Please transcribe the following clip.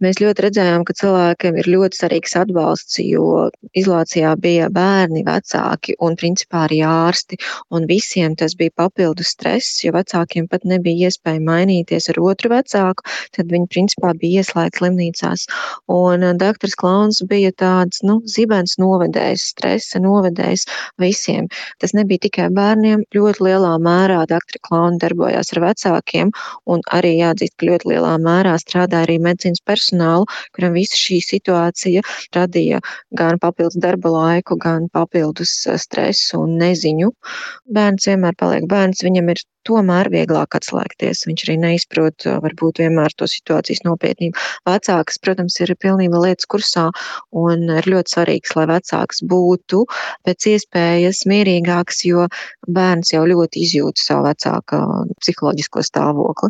Mēs ļoti redzējām, ka cilvēkiem ir ļoti svarīgs atbalsts, jo izolācijā bija bērni, vecāki un principā arī ārsti, un visiem tas bija papildus stress, jo vecākiem pat nebija iespēja mainīties ar otru vecāku, tad viņi principā bija ieslēgti slimnīcās. Un doktors Klauns bija tāds, zibens novedējs, stresa novedējs visiem. Tas nebija tikai bērniem, ļoti lielā mērā doktori Klauni darbojās ar vecākiem, un arī jāatzīst, ka ļoti lielā mērā strādāja arī medicīnas personālu, kuram visa šī situācija radīja gan papildus darba laiku, gan papildus stresu un neziņu. Bērns vienmēr paliek bērns, viņam ir tomēr vieglāk atslēgties. Viņš arī neizprot varbūt vienmēr to situācijas nopietnību. Vecāks, protams, ir pilnībā lietas kursā un ir ļoti svarīgs, lai vecāks būtu pēc iespējas mierīgāks, jo bērns jau ļoti izjūt savu vecāka psiholoģisko stāvokli.